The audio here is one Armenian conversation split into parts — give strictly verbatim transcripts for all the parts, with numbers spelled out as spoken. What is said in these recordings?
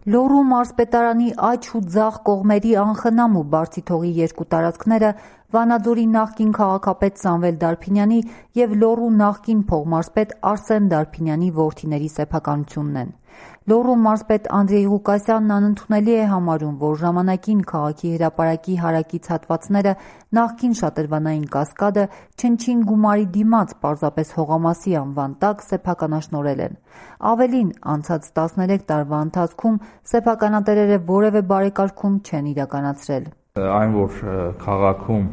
Լոռու մարզպետարանի աջ ու ձախ կողմերի անխնամ ու բարձիթողի երկու տարածքները Վանաձորի նախկին քաղաքապետ Սամվել Դարփինյանի և Լոռու նախկին փողմարզպետ Արսեն Դարփինյանի որդիների սեփականությունն են։ Լոռու մարզպետ Անդրեյ Ղուկասյանն անընդունելի է համարում, որ ժամանակին քաղաքի հրապարակի հարակից հատվածները նախկին շատրվանային կասկադը չնչին գումարի դիմաց պարզապես հողամասի անվան տակ սեփականաշնորհել են։ Ավելին, անցած տասներեք տարվա ընթացքում սեփականատերերը որևէ բարեկարգում չեն իրականացրել։ Այն, որ քաղաքում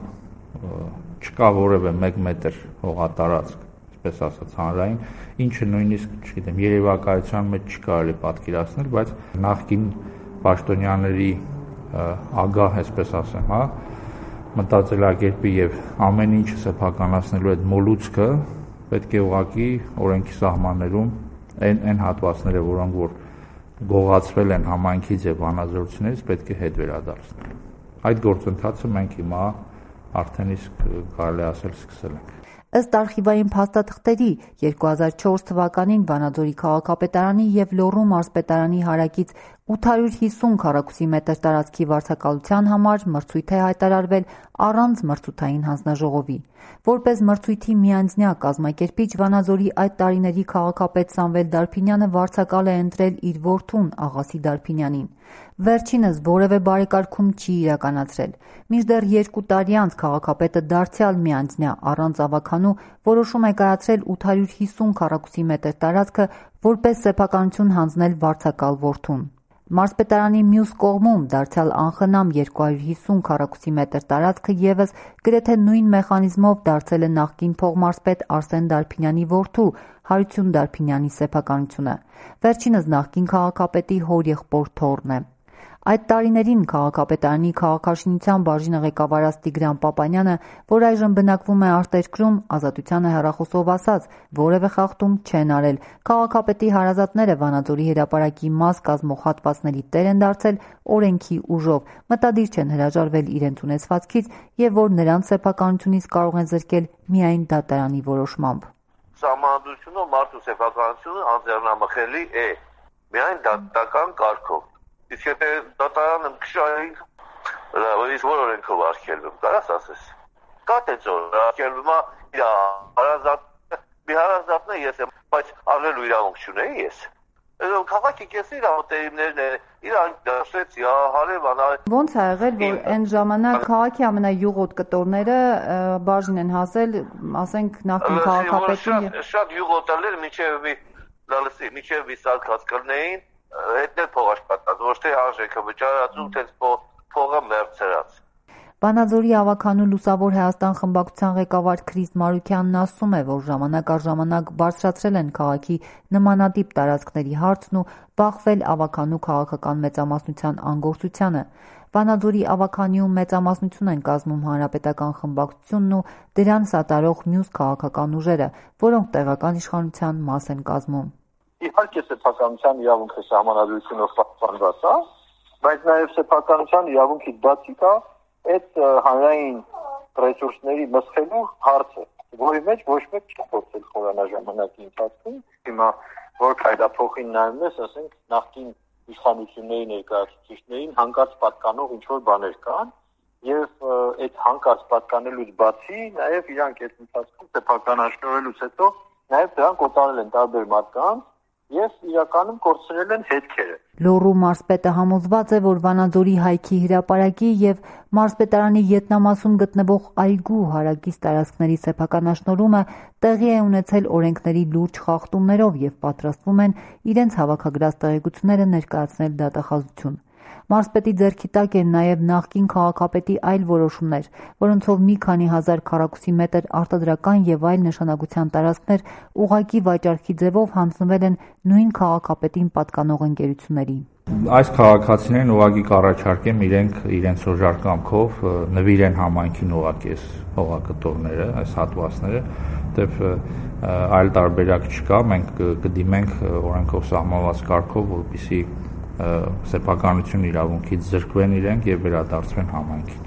չկա որևէ մեկ մետր հողատարածք, պես ասած հանրային, ինչը նույնիսկ, չգիտեմ, երևակայության մեջ չի կարելի պատկերացնել, բայց նախկին պաշտոնյաների ագահ, այսպես ասեմ, հա, մտածելակերպի եւ ամեն ինչը սեփականացնելու այդ մոլուցքը պետք է ուղղակի օրենքի սահմաններում այն այն հատվածները, որոնք որ գողացվել են համայնքից եւ վանաձորցիներից, պետք է հետ վերադարձնել։ Այդ գործընթացը մենք հիմա արդեն իսկ կարելի ասել սկսել ենք։ Ըստ արխիվային փաստաթղթերի երկու հազար չորս թվականին Վանաձորի քաղաքապետարանի և Լոռու մարզպետարանի հարակից ութ հարյուր հիսուն քառակուսի մետր տարածքի վարձակալության համար մրցույթ է հայտարարվել առանց մրցութային հանձնաժողովի։ Որպես մրցույթի միանձնյա կազմակերպիչ Վանաձորի այդ տարիների քաղաքապետ Սամվել Դարփինյանը վարձակալ է ընտրել իր որդուն Աղասի Դարփինյանին։ Վերջինս որևէ բարեկարգում չի իրականացրել։ Մինչդեռ երկու տարի անց քաղաքապետը դարձյալ միանձնյա առանց ավականու որոշում է կայացրել ութ հարյուր հիսուն քառակուսի մետր տարածքը որպես սեփականություն հանձնել վարձակալ որդուն։ Մարզպետարանի մյուս կողմում դարձյալ անխնամ երկու հարյուր հիսուն քառակուսի մետր տարածքը ևս գրեթե նույն մեխանիզմով դարձել է նախկին փողմարզպետ Արսեն Դարփինյանի որդու Հարություն Դարփինյանի սեփականությունը։ Վերջինս նախկին քաղաքապետի հորեղբոր թոռն է։ Այդ տարիներին քաղաքապետարանի քաղաքաշինության բաժինը ղեկավարած Տիգրան Պապանյանը, որ այժմ բնակվում է արտերկրում, Ազատությանը հեռախոսով ասաց, որևէ խախտում չեն արել։ Քաղաքապետի հարազատները Վանաձորի հրապարակի մաս կազմող հատվածների տեր են դարձել օրենքի ուժով, մտադիր չեն հրաժարվել իրենց ունեցվածքից եւ որ նրանց սեփականությունից կարող են զրկել միայն դատարանի որոշմամբ։ Սահմանադրությունը մարդու սեփականությունը անձեռնամխելի է միայն դատական կարգով։ Իսկ եթե դատարանը քշային, լավ, իսկ որ օրենքով արգելվում, կարաս ասես։ Կա թե ծոր արգելվում է իր հարազատը, մի հարազատն է ես եմ, բայց առնելու իրավունք չունեի ես։ Այդ քաղաքի կեսի իրավունքներն են, իրան դասեցի, հարևան։ Ոնց է եղել, որ այն ժամանակ քաղաքի ամենայուղոտ կտորները բաժին են հասել, ասենք նախկին քաղաքապետին։ Շատ յուղոտալեր մինչև մի լալսի, մինչև մի սարք հասկալնեին, հետներ փող աշխատած, ոչ թե արժեքը վճարածում, թե փողը մերձրած։ Վանաձորի ավականու Լուսավոր Հայաստան խմբակցության ղեկավար Քրիստ Մարուքյանն ասում է, որ ժամանակ առ ժամանակ բարձրացրել են քաղաքի նմանատիպ տարածքների հարցն ու բախվել ավականու քաղաքական մեծամասնության անգործությանը։ Վանաձորի ավականիում մեծամասնություն են կազմում հանրապետական խմբակցությունն ու դրան սատարող մյուս քաղաքական ուժերը, որոնք տեղական իշխանության մաս են կազմում։ Իհարկե սեփականության իրավունքը սահմանադրությունով պահպանված է, բայց նաև սեփականության իրավունքից բացի կա այդ հանրային ռեսուրսների մսխելու հարցը, որի մեջ ոչ մեկ չի փորձել խորանալ ժամանակի ընթացքում։ Հիմա որ քայլափոխին նայում ես, ասենք նախկին իշխանությունների ներկայացուցիչներին հանկարծ պատկանող ինչ-որ բաներ կան, եւ այդ հանկարծ պատկանելուց բացի նաև իրանք այդ ընթացքում սեփականաշնորհելուց հետո նաև դրանք օտարել են տարբեր մարդկանց և իրականում կորցրել են հետքերը։ Լոռու մարզպետը համոզված է, որ Վանաձորի հայքի հրապարակի և մարզպետարանի ետնամասում գտնվող այգու հարակից տարածքների սեփականաշնորհումը տեղի է ունեցել օրենքների լուրջ խախտումներով և պատրաստվում են իրենց հավաքագրած տեղեկությունները ներկայացնել դատախազություն։ Մարզպետի ձեռքի տակ են նաև նախկին քաղաքապետի այլ որոշումներ, որոնցով մի քանի հազար քառակուսի մետր արտադրական և այլ նշանակության տարածքներ ուղղակի վաճառքի ձևով հանձնվել են նույն քաղաքապետին պատկանող ընկերություններին։ Այս քաղաքացիներին ուղղակի կառաջարկեմ իրենք իրենց օժար կամքով նվիրեն համայնքին ուղղակի այս հողակտորները, այս հատվածները, որտեվ այլ տարբերակ չկա, մենք կդիմենք օրենքով սահմանված կարգով, որպեսզի սեփականություն իրավունքից զրկվեն իրենք եւ վերադարձվեն համայնքին։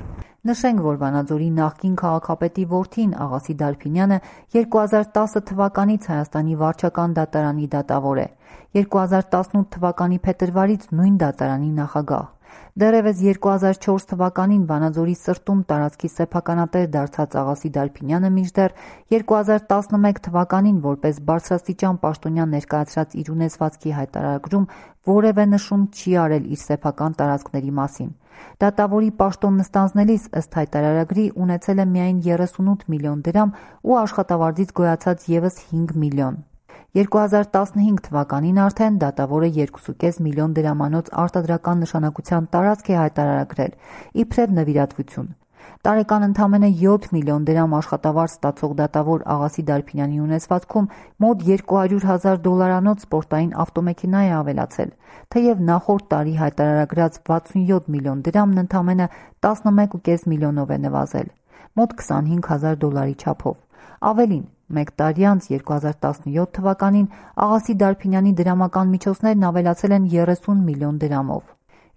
Նշենք, որ Վանաձորի նախկին քաղաքապետի որդին Աղասի Դարփինյանը երկու հազար տասը թվականից Հայաստանի վարչական դատարանի դատավոր է։ երկու հազար տասնութ թվականի փետրվարից նույն դատարանի նախագահ։ Դեռևս երկու հազար չորս թվականին Վանաձորի սրտում տարածքի սեփականատեր դարձած Աղասի Դարբինյանը մինչդեռ երկու հազար տասնմեկ թվականին որպես բարձրաստիճան պաշտոնյա ներկայացրած իր ունեցվածքի հայտարարագրում որևէ նշում չի արել իր սեփական տարածքների մասին։ Դատավորի պաշտոն նստանձնելիս ըստ հայտարարագրի ունեցել է միայն երեսունութ միլիոն դրամ ու աշխատավարձից գոյացած ևս հինգ միլիոն։ երկու հազար տասնհինգ թվականին արդեն դատավորը երկու կես միլիոն դրամանոց արտադրական նշանակության տարածք է հայտարարագրել, իբրև նվիրատվություն։ Տարեկան ընդամենը յոթ միլիոն դրամ աշխատավարձ ստացող դատավոր Աղասի Դարբինյանի ունեցվածքում մոտ երկու հարյուր հազար դոլարանոց սպորտային ավտոմեքենա է ավելացել, թեև նախորդ տարի հայտարարագրած վաթսունյոթ միլիոն դրամն ընդամենը տասնմեկ կես միլիոնով է նվազել, մոտ քսանհինգ հազար դոլարի չափով։ Ավելին, մեկ տարի անց երկու հազար տասնյոթ թվականին Աղասի Դարբինյանի դրամական միջոցներն ավելացել են երեսուն միլիոն դրամով։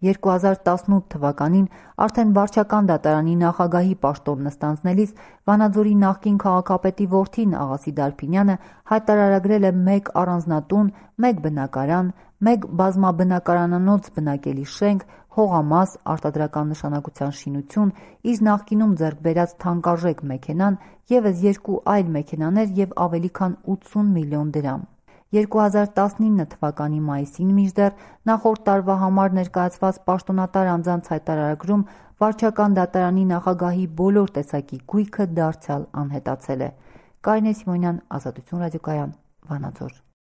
երկու հազար տասնութ թվականին արդեն վարչական դատարանի նախագահի պաշտոն նստանձնելիս Վանաձորի նախկին քաղաքապետի որդին Աղասի Դարբինյանը հայտարարագրել է մեկ առանձնատուն, մեկ բնակարան, մեկ բազմաբնակարանանոց բնակելի շենք, հողամաս, արտադրական նշանակության շինություն, իր նախկինում ձեռք բերած թանկարժեք մեքենան, ևս երկու այլ մեքենաներ և ավելի քան ութսուն միլիոն դրամ։ երկու հազար տասնինը թվականի մայիսին մինչդեռ նախորդ տարվա համար ներկայացված պաշտոնատար անձանց հայտարարագրում վարչական դատարանի նախագահի բոլոր տեսակի գույքը դարձյալ անհետացել է։ Կարինե Սիմոնյան, Ազատություն ռադիոկայան, Վանաձոր։